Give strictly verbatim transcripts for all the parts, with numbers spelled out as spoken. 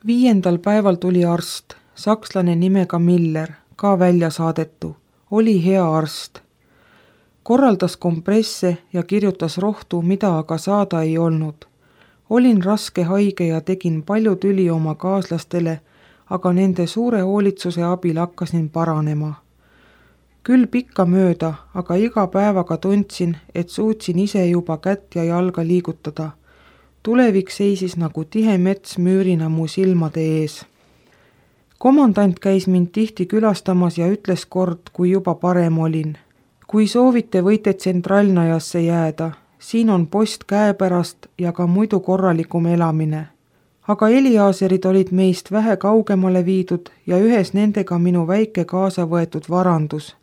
Viiendal päeval tuli arst, sakslane nimega Miller, ka välja saadetu. Oli hea arst. Korraldas kompresse ja kirjutas rohtu, mida aga saada ei olnud. Olin raske haige ja tegin palju tüli oma kaaslastele, aga nende suure hoolitsuse abil hakkasin paranema. Küll pikka mööda, aga iga päevaga tundsin, et suutsin ise juba kätt ja jalga liigutada. Tulevik seisis nagu tihe mets müürina mu silmade ees. Komandant käis mind tihti külastamas ja ütles kord, kui juba parem olin. Kui soovite, võite tsentraalnajasse jääda. Siin on post käepärast ja ka muidu korralikum elamine. Aga Eliaaserid olid meist vähe kaugemale viidud ja ühes nendega minu väike kaasa võetud varandus,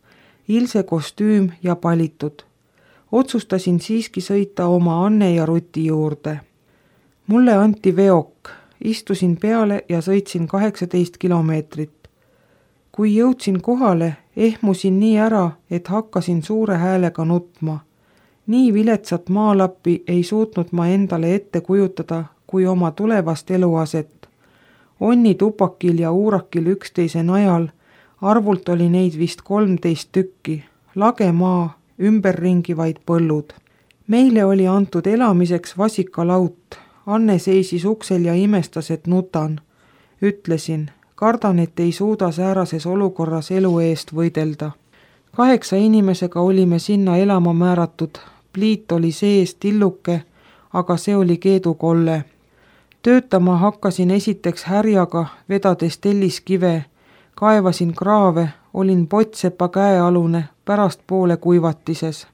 ilse kostüüm ja palitud. Otsustasin siiski sõita oma Anne ja Ruti juurde. Mulle anti veok, istusin peale ja sõitsin kaheksateist kilomeetrit. Kui jõudsin kohale, ehmusin nii ära, et hakkasin suure häälega nutma. Nii viletsat maalappi ei suutnud ma endale ette kujutada kui oma tulevast eluaset. Onni tupakil ja uurakil üksteise najal, arvult oli neid vist kolmteist tükki, lage maa, ümberringi vaid põllud. Meile oli antud elamiseks vasikalaut. Anne seisis uksel ja imestas, et nutan. Ütlesin, kardan, et ei suuda säärases olukorras elu eest võidelda. Kaheksa inimesega olime sinna elama määratud. Pliit oli sees tilluke, aga see oli keedukolle. Töötama hakkasin esiteks härjaga, vedades telliskive, kaevasin kraave, olin potsepa käealune, pärast poole kuivatises.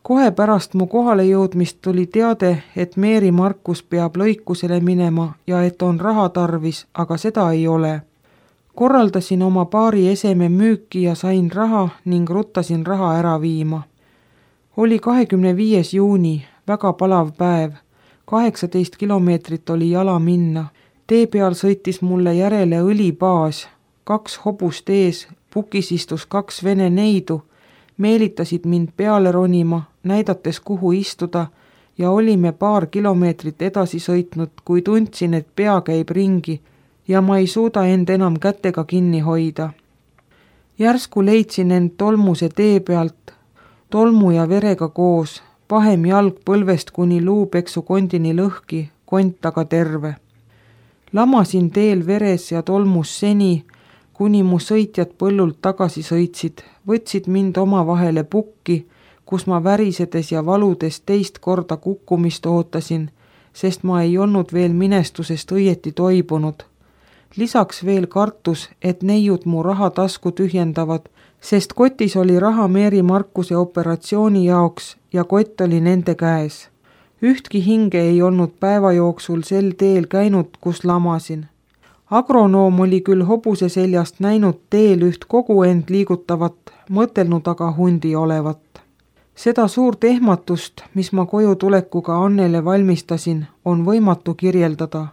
Kohe pärast mu kohale jõudmist tuli teade, et Meeri Markus peab lõikusele minema ja et on raha tarvis, aga seda ei ole. Korraldasin oma paari eseme müüki ja sain raha ning ruttasin raha ära viima. Oli kahekümne viies juuni, väga palav päev. kaheksateist kilomeetrit oli jala minna. Tee peal sõitis mulle järele õlibaas. Kaks hobust ees, pukis istus kaks vene neidu, meelitasid mind peale ronima, näidates kuhu istuda ja olime paar kilomeetrit edasi sõitnud, kui tundsin, et pea käib ringi ja ma ei suuda end enam kätega kinni hoida. Järsku leidsin end tolmuse tee pealt, tolmu ja verega koos, pahem jalg põlvest kuni luupeksu kondini lõhki, kont aga terve. Lamasin teel veres ja tolmus seni, kuni mu sõitjad põllult tagasi sõitsid, võtsid mind omavahele pukki, kus ma värisedes ja valudes teist korda kukkumist ootasin, sest ma ei olnud veel minestusest õieti toibunud. Lisaks veel kartus, et neiud mu raha tasku tühjendavad, sest kotis oli raha Meeri Markuse operatsiooni jaoks ja kott oli nende käes. Ühtki hinge ei olnud päeva jooksul sel teel käinud, kus lamasin. Agronoom oli küll hobuse seljast näinud teel üht kogu end liigutavat, mõtelnud aga hundi olevat. Seda suurt ehmatust, mis ma koju tulekuga Annele valmistasin, on võimatu kirjeldada.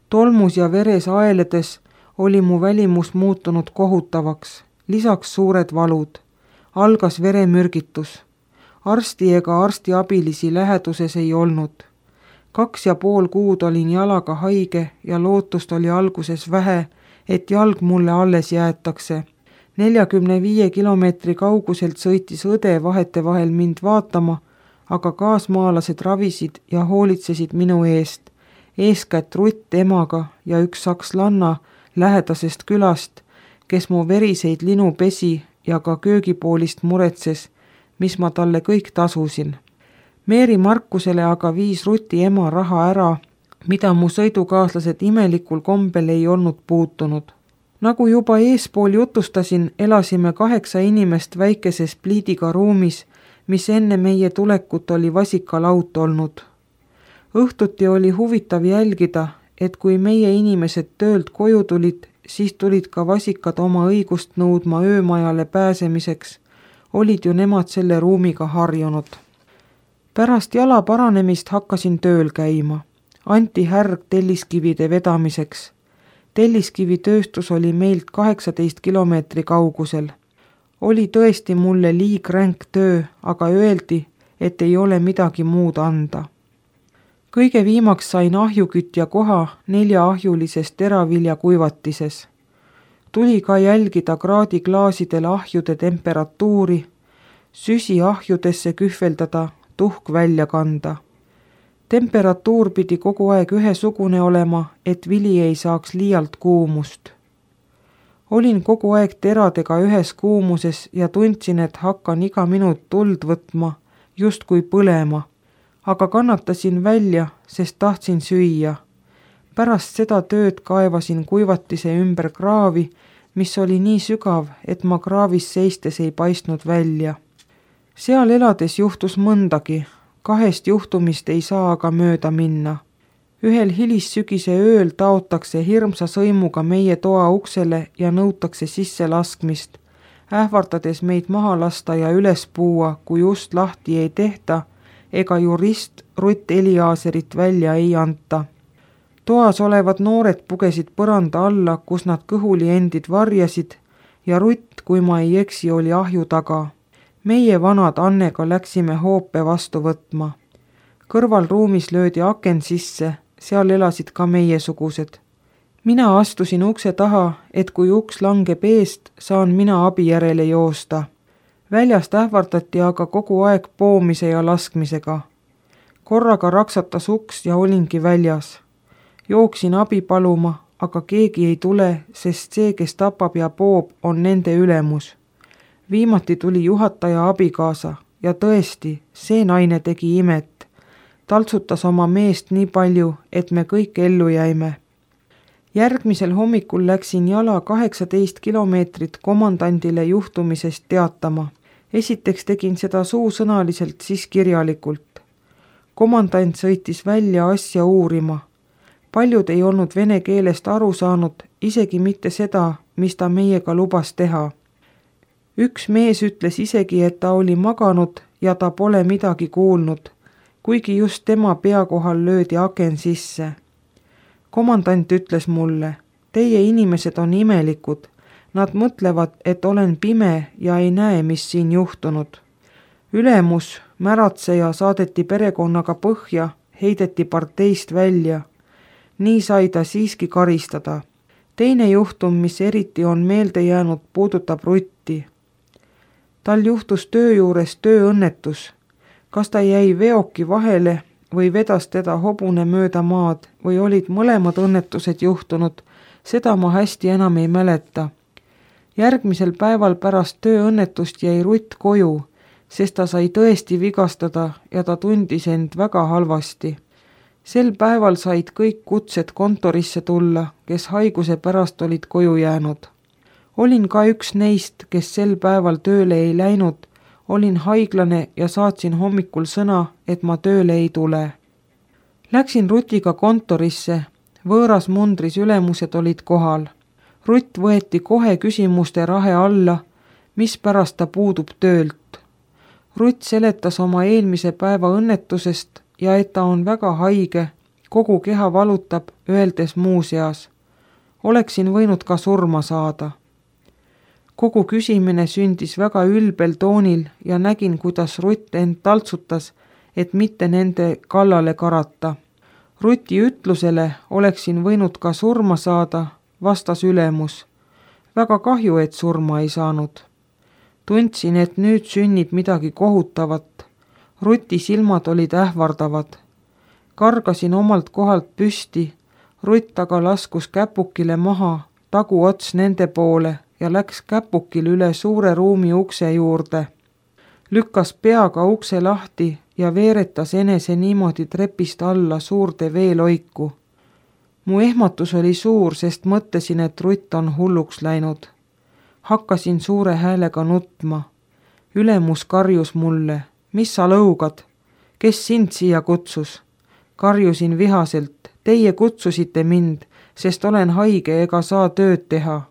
Tolmus ja veres aeledes oli mu välimus muutunud kohutavaks, lisaks suured valud. Algas veremürgitus. Arsti ega arstiabilisi läheduses ei olnud. Kaks ja pool kuud olin jalaga haige ja lootust oli alguses vähe, et jalg mulle alles jäetakse. neljakümne viie kilomeetri kauguselt sõitis õde vahetevahel mind vaatama, aga kaasmaalased ravisid ja hoolitsesid minu eest. Eeskätt Rutt emaga ja üks sakslanna lähedasest külast, kes mu veriseid linu pesi ja ka köögipoolist muretses, mis ma talle kõik tasusin. Meeri Markusele aga viis Ruti ema raha ära, mida mu sõidukaaslased imelikul kombel ei olnud puutunud. Nagu juba eespool jutustasin, elasime kaheksa inimest väikeses pliidiga ruumis, mis enne meie tulekut oli vasikalaut olnud. Õhtuti oli huvitav jälgida, et kui meie inimesed töölt koju tulid, siis tulid ka vasikad oma õigust nõudma öömajale pääsemiseks. Olid ju nemad selle ruumiga harjunud. Pärast jala paranemist hakkasin tööl käima. Anti härg telliskivide vedamiseks. Telliskivitööstus oli meilt kaheksateist kilomeetri kaugusel. Oli tõesti mulle liigränk töö, aga öeldi, et ei ole midagi muud anda. kõige viimaks sain ahjukütja koha neljaahjulises teraviljakuivatises. Tuli ka jälgida kraadiklaasidel ahjude temperatuuri, süsi ahjudesse kühveldada, tuhk välja kanda. Temperatuur pidi kogu aeg ühesugune olema, et vili ei saaks liialt kuumust. Olin kogu aeg teradega ühes kuumuses ja tundsin, et hakkan iga minut tuld võtma, justkui põlema, aga kannatasin välja, sest tahtsin süüa. Pärast seda tööd kaevasin kuivatise ümber kraavi, mis oli nii sügav, et ma kraavis seistes ei paistnud välja. Seal elades juhtus mõndagi, kahest juhtumist ei saa aga mööda minna. Ühel hilissügise ööl taotakse hirmsa sõimuga meie toa uksele ja nõutakse sisse laskmist, ähvardades meid maha lasta ja üles puua, kui ust lahti ei tehta ega jurist Rutt Eliaaserit välja ei anta. Toas olevad noored pugesid põranda alla, kus nad kõhuli endid varjasid ja Rutt, kui ma ei eksi, oli ahju taga. Meie vanad Annega läksime hoope vastu võtma. Kõrvalruumis löödi aken sisse, seal elasid ka meiesugused. Mina astusin ukse taha, et kui uks langeb eest, saan mina abi järele joosta. Väljast ähvardati aga kogu aeg poomise ja laskmisega. Korraga raksatas uks ja olingi väljas. Jooksin abi paluma, aga keegi ei tule, sest see, kes tapab ja poob, on nende ülemus. Viimati tuli juhataja abikaasa ja tõesti, see naine tegi imet. Taltsutas oma meest nii palju, et me kõik ellu jäime. Järgmisel hommikul läksin jala kaheksateist kilomeetrit komandandile juhtumisest teatama. Esiteks tegin seda suusõnaliselt, siis kirjalikult. Komandant sõitis välja asja uurima. Paljud ei olnud vene keelest aru saanud, isegi mitte seda, mis ta meiega lubas teha. Üks mees ütles isegi, et ta oli maganud ja ta pole midagi kuulnud, kuigi just tema pea kohal löödi aken sisse. Komandant ütles mulle, teie inimesed on imelikud, nad mõtlevad, et olen pime ja ei näe, mis siin juhtunud. Ülemus, märatseja saadeti perekonnaga põhja, heideti parteist välja. Nii sai ta siiski karistada. Teine juhtum, mis eriti on meelde jäänud, puudutab Rutti. Tal juhtus töö juures tööõnnetus. Kas ta jäi veoki vahele või vedas teda hobune mööda maad või olid mõlemad õnnetused juhtunud, seda ma hästi enam ei mäleta. Järgmisel päeval pärast tööõnnetust jäi Rutt koju, sest ta sai tõesti vigastada ja ta tundis end väga halvasti. Sel päeval said kõik kutsed kontorisse tulla, kes haiguse pärast olid koju jäänud. Olin ka üks neist, kes sel päeval tööle ei läinud, olin haiglane ja saatsin hommikul sõna, et ma tööle ei tule. Läksin Rutiga kontorisse, võõras mundris ülemused olid kohal. Rutt võeti kohe küsimuste rahe alla, mispärast ta puudub töölt. Rutt seletas oma eelmise päeva õnnetusest ja et ta on väga haige, kogu keha valutab, öeldes muuseas. Oleksin võinud ka surma saada. Kogu küsimine sündis väga ülbel toonil ja nägin, kuidas Rutt end taltsutas, et mitte nende kallale karata. Ruti ütlusele oleksin võinud ka surma saada, vastas ülemus. Väga kahju, et surma ei saanud. Tundsin, et nüüd sünnib midagi kohutavat. Ruti silmad olid ähvardavad. Kargasin omalt kohalt püsti, Rutt aga laskus käpukile maha, taguots nende poole ja läks käpukil üle suure ruumi ukse juurde. Lükkas peaga ukse lahti ja veeretas enese niimoodi trepist alla suurde veeloiku. Mu ehmatus oli suur, sest mõtlesin, et Rutt on hulluks läinud. Hakkasin suure häälega nutma. Ülemus karjus mulle, mis sa lõugad? Kes sind siia kutsus? Karjusin vihaselt, teie kutsusite mind, sest olen haige ega saa tööd teha.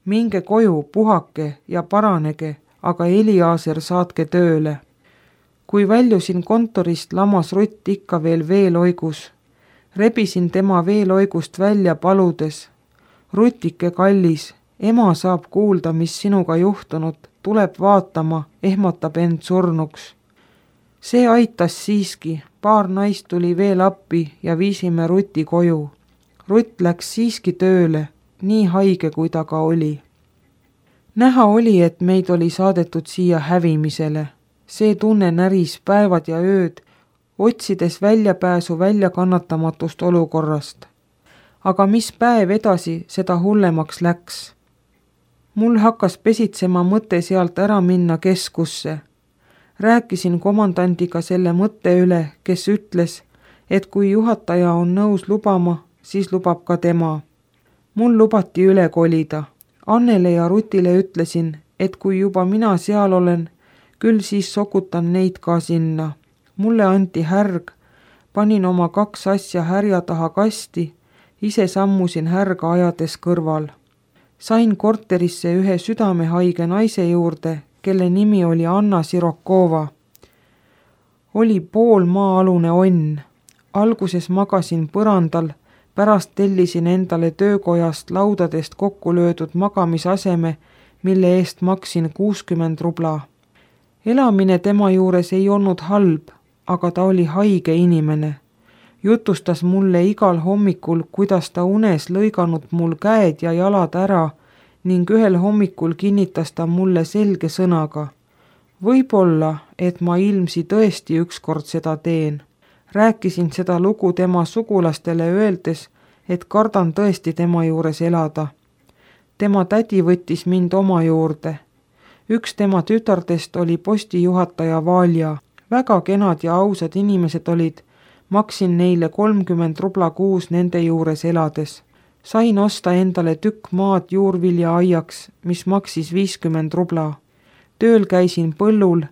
Minge koju, puhake ja paranege, aga Eliaaser saatke tööle. Kui väljusin kontorist, lamas Rutt ikka veel veeloigus. Rebisin tema veeloigust välja paludes. Rutike kallis, ema saab kuulda, mis sinuga juhtunud, tuleb vaatama, ehmatab end surnuks. See aitas siiski, paar naist tuli veel appi ja viisime Ruti koju. Rutt läks siiski tööle, nii haige kui ta ka oli. Näha oli, et meid oli saadetud siia hävimisele. See tunne näris päevad ja ööd, otsides väljapääsu väljakannatamatust olukorrast. Aga mis päev edasi, seda hullemaks läks. Mul hakkas pesitsema mõte sealt ära minna keskusse. Rääkisin komandandiga selle mõtte üle, kes ütles, et kui juhataja on nõus lubama, siis lubab ka tema. Mul lubati üle kolida. Annele ja Rutile ütlesin, et kui juba mina seal olen, küll siis sokutan neid ka sinna. Mulle anti härg, panin oma kaks asja härja taha kasti, ise sammusin härga ajades kõrval. Sain korterisse ühe südamehaige naise juurde, kelle nimi oli Anna Sirokova. Oli pool maa-alune onn. Alguses magasin põrandal, pärast tellisin endale töökojast laudadest kokku löödud magamisaseme, mille eest maksin kuuskümmend rubla. Elamine tema juures ei olnud halb, aga ta oli haige inimene. Jutustas mulle igal hommikul, kuidas ta unes lõiganud mul käed ja jalad ära ning ühel hommikul kinnitas ta mulle selge sõnaga. Võib-olla, et ma ilmsi tõesti ükskord seda teen. Rääkisin seda lugu tema sugulastele öeldes, et kardan tõesti tema juures elada. Tema tädi võttis mind oma juurde. Üks tema tütardest oli postijuhataja Valja. Väga kenad ja ausad inimesed olid. Maksin neile kolmkümmend rubla kuus nende juures elades. Sain osta endale tükk maad juurvilja aiaks, mis maksis viiskümmend rubla. Tööl käisin põllul,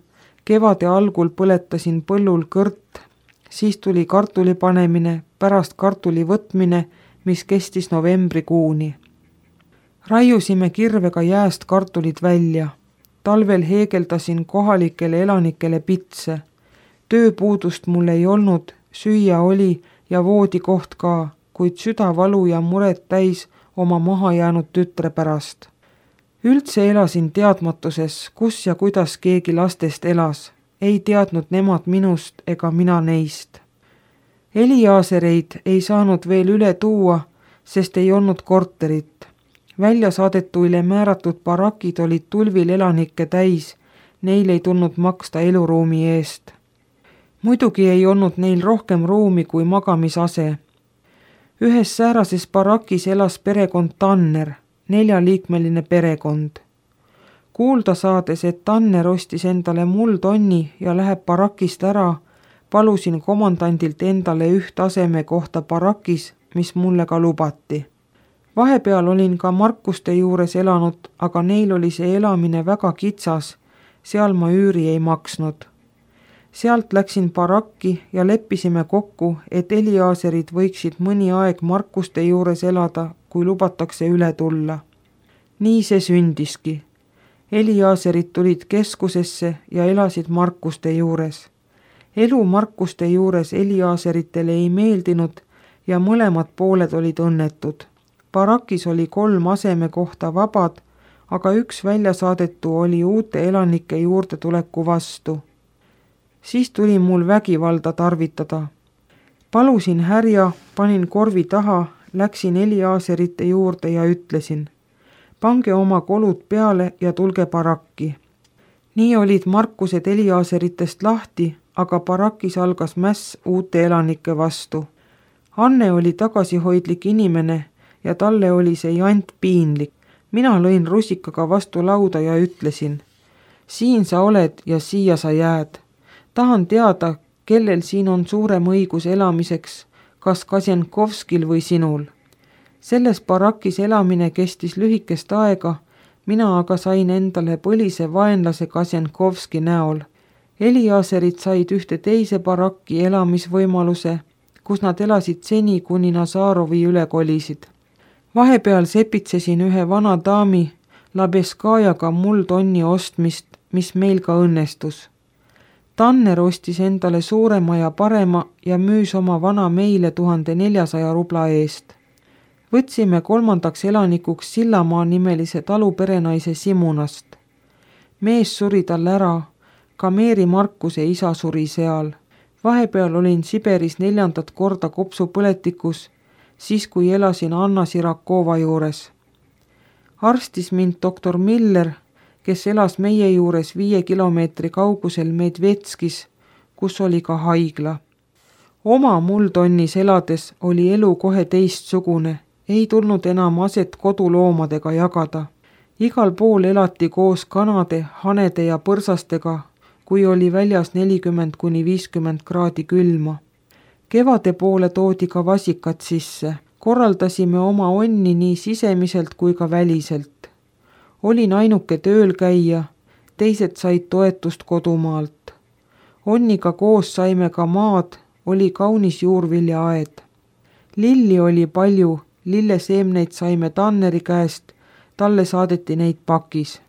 kevade algul põletasin põllul kõrt, siis tuli kartuli panemine, pärast kartuli võtmine, mis kestis novembrikuuni. Raiusime kirvega jääst kartulid välja. Talvel heegeldasin kohalikele elanikele pitse. Tööpuudust mul ei olnud, süüa oli ja voodikoht ka, kuid südavalu ja muret täis oma maha jäänud tütre pärast. Üldse elasin teadmatuses, kus ja kuidas keegi lastest elas. Ei teadnud nemad minust ega mina neist. Eliaasereid ei saanud veel üle tuua, sest ei olnud korterit. Välja saadetuile määratud barakid olid tulvil elanikke täis, neil ei tulnud maksta eluruumi eest. Muidugi ei olnud neil rohkem ruumi kui magamisase. Ühes säärases barakis elas perekond Tanner, neljaliikmeline perekond. Kuulda saades, et Tanner ostis endale muldonni ja läheb barakist ära, palusin komandandilt endale üht aseme kohta barakis, mis mulle ka lubati. Vahepeal olin ka Markuste juures elanud, aga neil oli see elamine väga kitsas, seal ma üüri ei maksnud. Sealt läksin barakki ja leppisime kokku, et Eliaaserid võiksid mõni aeg Markuste juures elada, kui lubatakse üle tulla. Nii see sündiski. Eliaaserid tulid keskusesse ja elasid Markuste juures. Elu Markuste juures Eliaaseritele ei meeldinud ja mõlemad pooled olid õnnetud. Barakis oli kolm aseme kohta vabad, aga üks väljasaadetu oli uute elanike juurde tuleku vastu. Siis tuli mul vägivalda tarvitada. Palusin härja, panin korvi taha, läksin Eliaaserite juurde ja ütlesin, pange oma kolud peale ja tulge barakki. Nii olid Markused Eliaaseritest lahti, aga barakis algas mäss uute elanike vastu. Anne oli tagasihoidlik inimene ja talle oli see jant piinlik. Mina lõin rusikaga vastu lauda ja ütlesin, siin sa oled ja siia sa jääd. Tahan teada, kellel siin on suurem õigus elamiseks, kas Kasjenkovskil või sinul. Selles barakis elamine kestis lühikest aega, mina aga sain endale põlise vaenlase Kasjenkovski näol. Eliaaserid said ühte teise barakki elamisvõimaluse, kus nad elasid seni, kuni Nazarovi üle kolisid. Vahepeal sepitsesin ühe vana daami Labeskajaga muldonni ostmist, mis meil ka õnnestus. Tanner ostis endale suurema ja parema ja müüs oma vana meile tuhande neljasaja rubla eest. Võtsime kolmandaks elanikuks Sillamaa nimelise taluperenaise Simunast. Mees suri tal ära, ka Meeri Markuse isa suri seal. vahepeal olin Siberis neljandat korda kopsupõletikus, siis kui elasin Anna Sirakova juures. Arstis mind doktor Miller, kes elas meie juures viie kilomeetri kaugusel Medvetskis, kus oli ka haigla. Oma multonnis elades oli elu kohe teistsugune, ei tulnud enam aset koduloomadega jagada. Igal pool elati koos kanade, hanede ja põrsastega, kui oli väljas nelikümmend kuni viiskümmend kraadi külma. Kevade poole toodi ka vasikad sisse. Korraldasime oma onni nii sisemiselt kui ka väliselt. Olin ainuke tööl käia, teised said toetust kodumaalt. Onniga koos saime ka maad, oli kaunis juurviljaaed. Lilli oli palju, lilleseemneid saime Tanneri käest, talle saadeti neid pakis.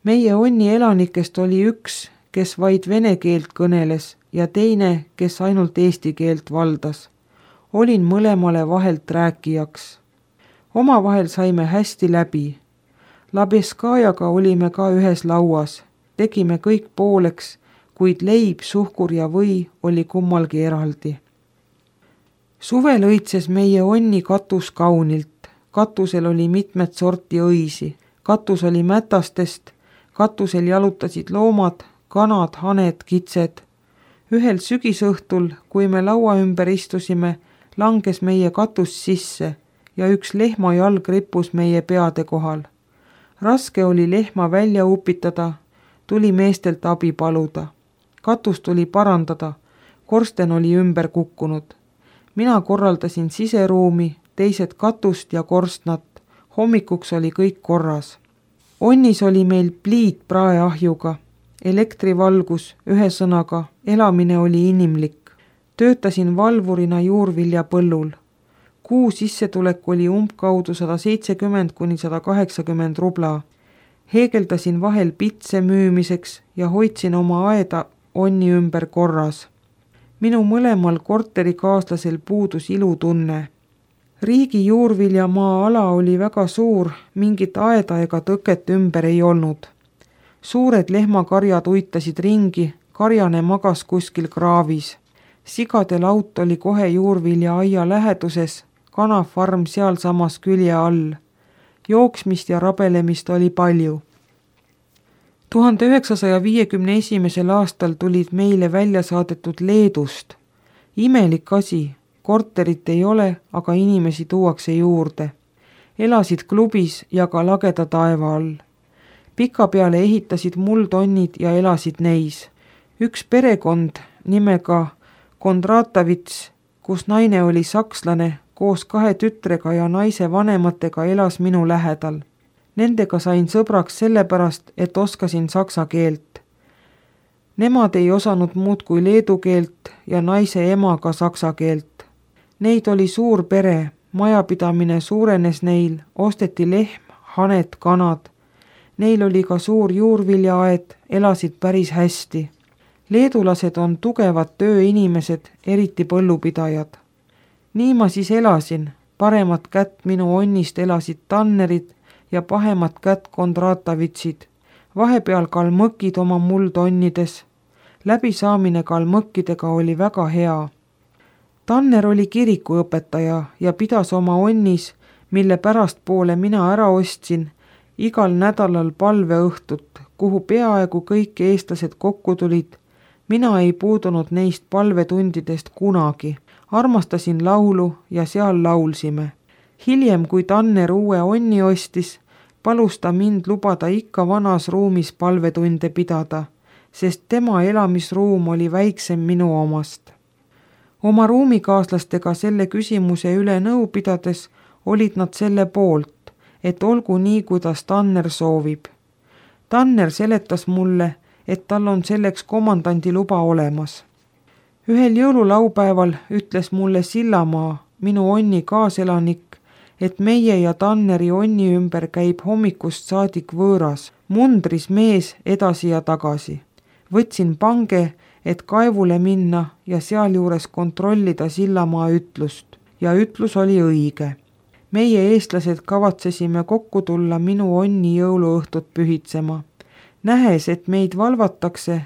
Meie onni elanikest oli üks, kes vaid vene keelt kõneles ja teine, kes ainult eesti keelt valdas. Olin mõlemale vahelt rääkijaks. Omavahel saime hästi läbi. Labeskajaga olime ka ühes lauas, tegime kõik pooleks, kuid leib, suhkur ja või oli kummalgi eraldi. Suvel õitses meie onni katus kaunilt. Katusel oli mitmed sorti õisi. Katus oli mätastest, katusel jalutasid loomad, kanad, haned, kitsed. Ühel sügisõhtul, kui me laua ümber istusime, langes meie katus sisse ja üks lehma jalg rippus meie peade kohal. Raske oli lehma välja upitada, tuli meestelt abi paluda. Katus tuli parandada, korsten oli ümber kukkunud. Mina korraldasin siseruumi, teised katust ja korstnat, hommikuks oli kõik korras. Onnis oli meil pliit praeahjuga, elektrivalgus, ühesõnaga, elamine oli inimlik. Töötasin valvurina juurviljapõllul. Kuu sissetulek oli umbkaudu sada seitsekümmend kuni sada kaheksakümmend rubla. Heegeldasin vahel pitse müümiseks ja hoidsin oma aeda onni ümber korras. Minu mõlemal korterikaaslasel puudus ilutunne. Riigi juurviljamaa ala oli väga suur, mingit aeda ega tõket ümber ei olnud. Suured lehmakarjad uitasid ringi, karjane magas kuskil kraavis. Sigade laut oli kohe juurvilja aia läheduses, kanafarm sealsamas külje all. Jooksmist ja rabelemist oli palju. tuhande üheksasaja viiekümne esimesel aastal tulid meile välja saadetud Leedust. Imelik asi, korterit ei ole, aga inimesi tuuakse juurde. Elasid klubis ja ka lageda taeva all. Pika peale ehitasid muldonnid ja elasid neis. Üks perekond nimega Kondratovits, kus naine oli sakslane, koos kahe tütrega ja naise vanematega elas minu lähedal. Nendega sain sõbraks sellepärast, et oskasin saksa keelt. Nemad ei osanud muud kui leedu keelt ja naise ema ka saksa keelt. Neid oli suur pere, majapidamine suurenes neil, osteti lehm, haned, kanad. Neil oli ka suur juurviljaaed, elasid päris hästi. Leedulased on tugevad tööinimesed, eriti põllupidajad. Nii ma siis elasin, paremat kätt minu onnist elasid Tannerid ja pahemat kätt Kondratovitsid. Vahepeal kalmõkid oma muldonnides. Läbisaamine kalmõkkidega oli väga hea. Tanner oli kirikuõpetaja ja pidas oma onnis, mille pärastpoole mina ära ostsin, igal nädalal palveõhtut, kuhu peaaegu kõik eestlased kokku tulid. Mina ei puudunud neist palvetundidest kunagi. Armastasin laulu ja seal laulsime. Hiljem, kui Tanner uue onni ostis, palus ta mind lubada ikka vanas ruumis palvetunde pidada, sest tema elamisruum oli väiksem minu omast. Oma ruumikaaslastega selle küsimuse üle nõu pidades olid nad selle poolt, et olgu nii, kuidas Tanner soovib. Tanner seletas mulle, et tal on selleks komandandi luba olemas. Ühel jõululaupäeval ütles mulle Sillamaa, minu onni kaaselanik, et meie ja Tanneri onni ümber käib hommikust saadik võõras, mundris mees edasi ja tagasi. Võtsin pange, et kaevule minna ja sealjuures kontrollida Sillamaa ütlust. Ja ütlus oli õige. Meie eestlased kavatsesime kokku tulla minu onni jõuluõhtut pühitsema. Nähes, et meid valvatakse,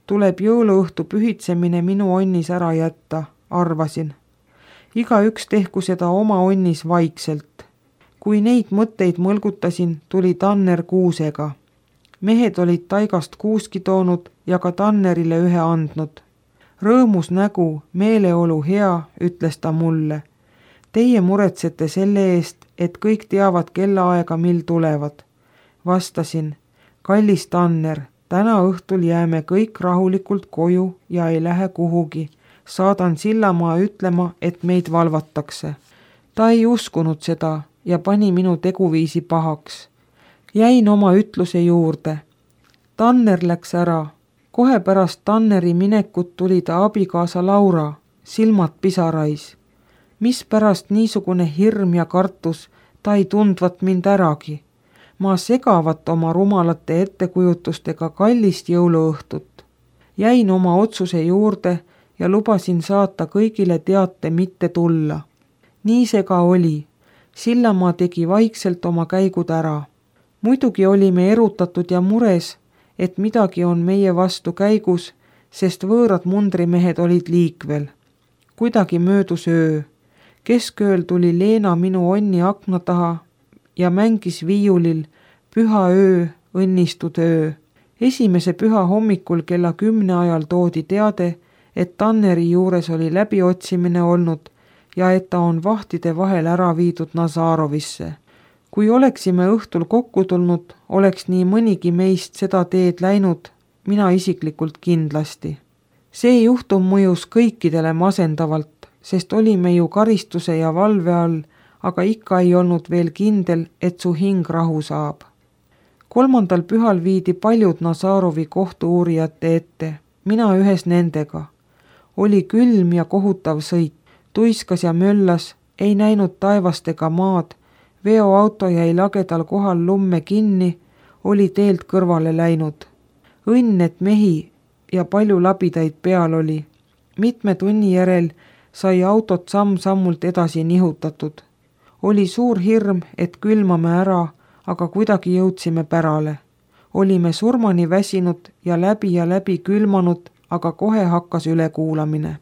tuleb jõuluõhtu pühitsemine minu onnis ära jätta, arvasin. Igaüks tehku seda oma onnis vaikselt. Kui neid mõtteid mõlgutasin, tuli Tanner kuusega. Mehed olid taigast kuuski toonud ja ka Tannerile ühe andnud. Rõõmus nägu, meeleolu hea, ütles ta mulle. Teie muretsete selle eest, et kõik teavad kellaaega, mil tulevad. Vastasin, kallis Tanner, täna õhtul jääme kõik rahulikult koju ja ei lähe kuhugi. Saadan Sillamaa ütlema, et meid valvatakse. Ta ei uskunud seda ja pani minu teguviisi pahaks. Jäin oma ütluse juurde. Tanner läks ära. Kohe pärast Tanneri minekut tuli ta abikaasa Laura, silmad pisarais. Mispärast niisugune hirm ja kartus, ta ei tundvat mind äragi. Ma segavat oma rumalate ettekujutustega kallist jõuluõhtut. Jäin oma otsuse juurde ja lubasin saata kõigile teate mitte tulla. Nii see ka oli. Sillamaa tegi vaikselt oma käigud ära. Muidugi olime erutatud ja mures, et midagi on meie vastu käigus, sest võõrad mundrimehed olid liikvel. Kuidagi möödus öö. Keskööl tuli Leena minu onni akna taha ja mängis viiulil Püha öö, õnnistud öö. Esimese püha hommikul kella kümne ajal toodi teade, et Tanneri juures oli läbiotsimine olnud ja et ta on vahtide vahel ära viidud Nazarovisse. Kui oleksime õhtul kokku tulnud, oleks nii mõnigi meist seda teed läinud, mina isiklikult kindlasti. See juhtum mõjus kõikidele masendavalt, sest olime ju karistuse ja valve all, aga ikka ei olnud veel kindel, et su hing rahu saab. Kolmandal pühal viidi paljud Nazarovi kohtu-uurijate ette, mina ühes nendega. Oli külm ja kohutav sõit, tuiskas ja möllas, ei näinud taevast ega maad, veoauto jäi lagedal kohal lumme kinni, oli teelt kõrvale läinud. Õnn, et mehi ja palju labidaid peal oli. Mitme tunni järel sai autot samm-sammult edasi nihutatud. Oli suur hirm, et külmame ära, aga kuidagi jõudsime pärale. Olime surmani väsinud ja läbi ja läbi külmanud, aga kohe hakkas ülekuulamine.